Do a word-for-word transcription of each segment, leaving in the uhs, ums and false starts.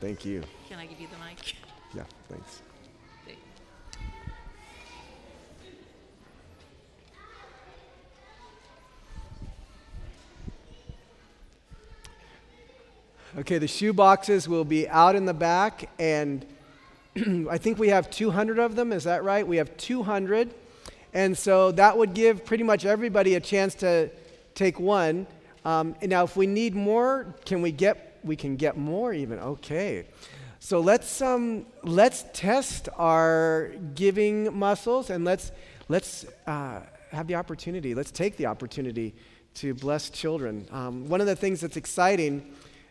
Thank you. Can I give you the mic? Yeah, thanks. Okay, the shoe boxes will be out in the back, and I think we have two hundred of them. Is that right? We have two hundred. And so that would give pretty much everybody a chance to take one. Um, and now, if we need more, can we get, we can get more even. Okay. So let's um, let's test our giving muscles, and let's, let's uh, have the opportunity. Let's take the opportunity to bless children. Um, one of the things that's exciting,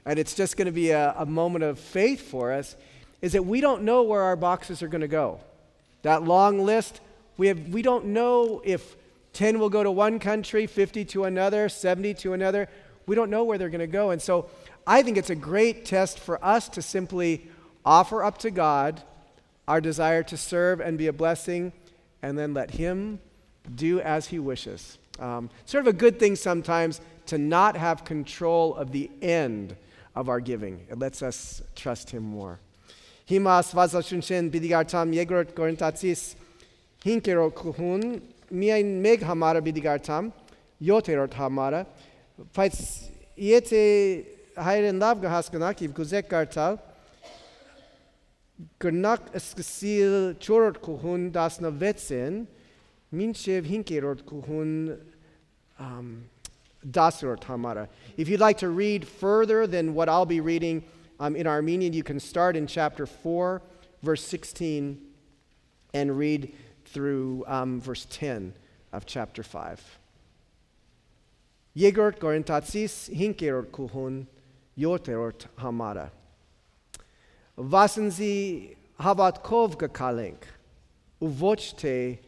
and it's just going to be a, a moment of faith for us, is that we don't know where our boxes are going to go. That long list, we have we don't know if ten will go to one country, fifty to another, seventy to another. We don't know where they're going to go. And so I think it's a great test for us to simply offer up to God our desire to serve and be a blessing, and then let Him do as He wishes. Um, sort of a good thing sometimes to not have control of the end of our giving. It lets us trust Him more. Himas vazashunchen bidigartam yegrot korintatsis hinkerot kuhun miain meg hamara bidigartam yoterot hamara fights yete hayren lavga haskanakiv guzek gartal gurnak esksil chorot kuhun dasna vetsen minchev hinkerot kuhun um, dasrot hamara. If you'd like to read further than what I'll be reading um, in Armenian, you can start in chapter four, verse sixteen, and read through um, verse ten of chapter five. Yegort Korintatsis hinkerot kuhun yoterot hamara. Vasenzi havatkov gakalenk uvochte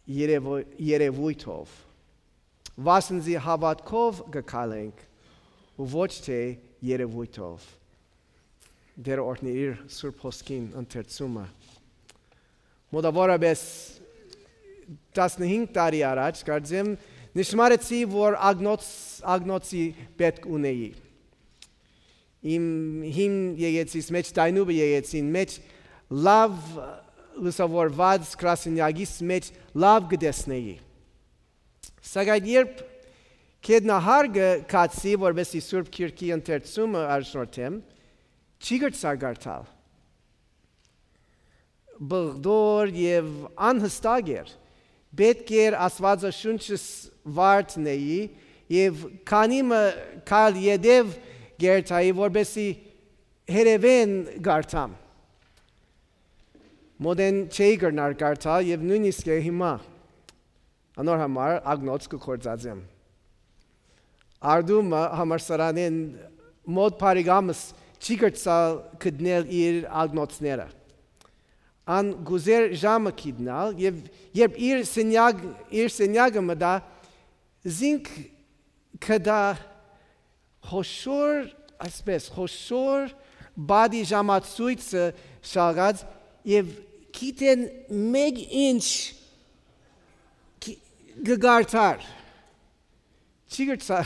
yerevuitov. Vasenzi havatkov gakalenk uvochte yerevuitov. Der ortnir surposkin antertsuma. Մոտավորապես տասնհինգ տարի առաջ կարծեմ նշմարեցի, որ ագնոցի պետք ունեի։ Իմ հին եկեցից մեջ, դայնուբը եկեցին մեջ, լավ լուսավորված գրասենյակից մեջ լավ գտեսնեի։ Սակայն երբ կետնահարգը կացի, որպեսզի Սուրբ Քիրքի ընթերցումը առաջնորդեմ, չի գրցագարտալ։ Բղդոր և անհստակ էր, պետք էր Աստվածաշունչս վարդնեի և քանիմը կալ ետև գերտայի, որպեսզի հերևեն գարտամ։ Մոդեն չէի գրնար գարտալ և նույնիսկ է հիմա։ Անոր համար ագնոց կկործածեմ։ Արդումը համարսարանեն մոտ պարիգամս չի գրծալ կդնել իր ագնոցները։ An գուզեր ժամը կիդնալ և երբ իր սենյակ, իր սենյակը մտա, զինք կդա խոշոր, այսպես, խոշոր բադի ժամացույցը շաղած և կիտեն մեկ ինչ գգարտար։ Չի գրծա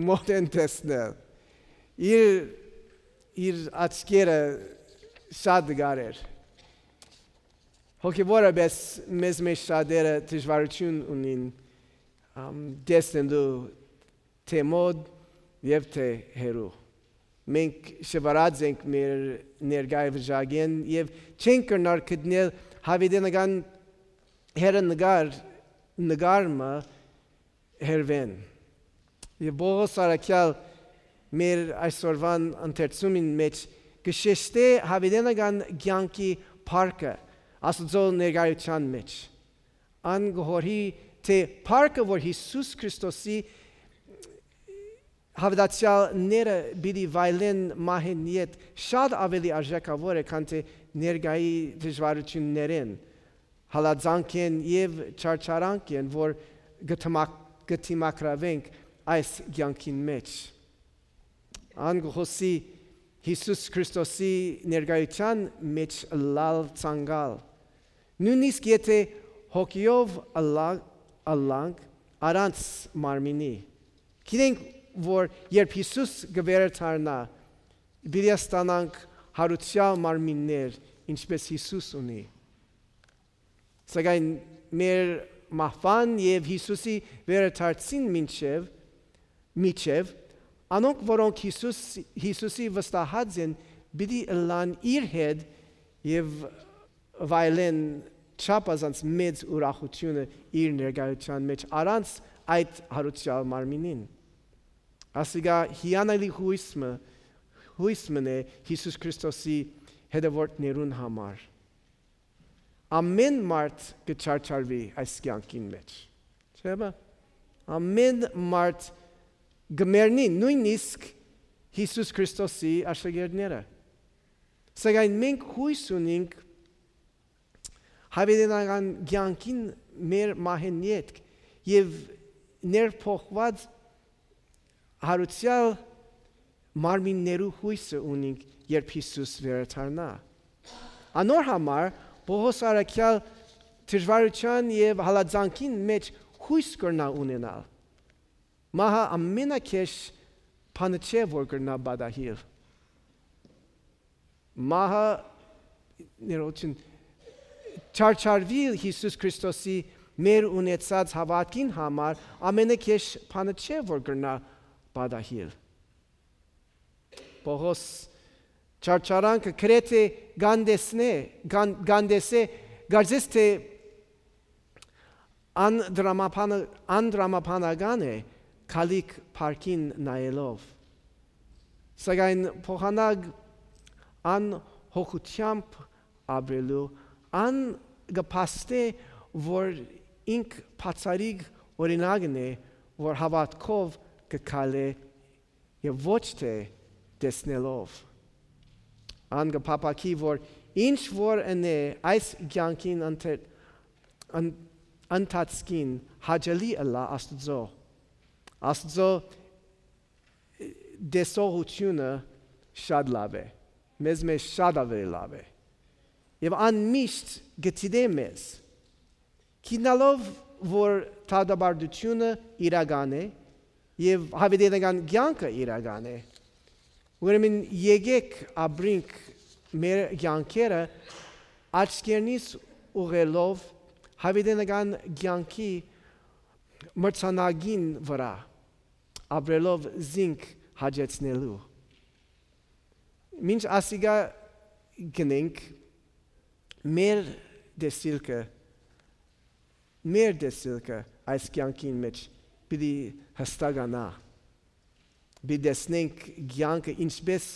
մոտ են տեսնել։ Իր, իր աչքերը շատ դգար էր։ Հոգևորապես մեզ մեջ շատերը դժվարություն ունին տեսնելու թե մոտ և թե հեռու։ Մենք շվարած ենք մեր ներկայ վիճակեն և չենք կրնար գտնել հավիտենական հեռանկար նկարը հեռվեն։ Եվ Պողոս առաքյալ մեր այսօրվան ընթերցումին մեջ կշեշտե հավիտենական կյանքի փառքը Աստծո ներկայության մեջ։ Ան գոհորի թե փառքը, որ Հիսուս Քրիստոսի հավատացյալները պիտի վայելեն մահեն ետ, շատ ավելի արժեքավոր է, քան թե ներկայի դժվարություններն, հալածանքեն և չարչարանքեն, որ գտիմակրավենք այս կյանքին մեջ։ Ան գոհոսի Հիսուս Քրիստոսի ներկայության մեջ լալ ցանկալ։ Նույնիսկ եթե հոգիով ըլլանք առանց մարմինի։ Գիտենք, որ երբ Հիսուս գվերթարնա, Պիտի ստանանք հարության մարմիններ, ինչպես Հիսուս ունի։ Սակայն մեր մահվան եւ Հիսուսի վերադարձին մինչև միջև անոնք, որոնք Հիսուս, Հիսուսի վստահած են, պիտի լան իր հետ եւ վայելեն չափազանց մեծ ուրախությունը իր ներկայության մեջ առանց այդ հարության մարմինին։ Ասիկա հիանալի հույսը հույսն է Հիսուս Քրիստոսի հետևորդներուն համար։ Ամեն մարդ կչարչարվի այս կյանքին մեջ։ Չէ՞ ամեն մարդ գմերնի նույնիսկ Հիսուս Քրիստոսի աշակերտները։ Սակայն մենք հույս ունենք հավիտենական կյանքին մեր մահեն ետք եւ ներփոխված հարուցյալ մարմիններու հույսը ունենք, երբ Հիսուս վերադառնա։ Անոր համար Պողոս առաքյալ դժվարության եւ հալածանքին մեջ հույս կրնա ունենալ։ Մահը ամենակեշ բանը չէ, որ կրնա բադահիլ։ Մահը ներողություն չարչարվի Հիսուս Քրիստոսի մեր ունեցած հավատքին համար ամենակեշ բանը չէ, որ կրնա բադահիլ։ Պողոս չարչարանքը քրեթե գանդեսնե գանդեսե գարձես թե անդրամապանական է քալիք парքին նայելով։ Սակայն փոխանակ ան հոգությամբ ապրելու ան գպաստե որ ինք բացարիք օրինակն է, որ հավատքով կքալե եւ ոչ թե տեսնելով։ Ան գպապակի որ ինչ որ ընե այս կյանքին ընթացքին հաջելի ըլա Աստծո։ Աստծո դեսողությունը շատ լավ է, մեզ մեզ շատ ավելի լավ է։ Եվ անմիշտ գտիդե մեզ, քինալով, որ թադաբարդությունը իրական է եւ հավիտենական կյանքը իրական է, ուրեմն եկեք ապրենք մեր կյանքերը աչքերնից ուղղելով հավիտենական կյանքի մրցանակին վրա, ապրելով զինք հաջեցնելու։ Մինչ ասիգա գնենք մեր դեսիլքը մեր դեսիլքը այս կյանքին մեջ պիտի հստականա, պիտի տեսնենք կյանքը ինչպես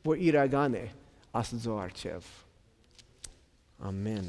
որ իրական է Աստծո առջև։ Ամեն։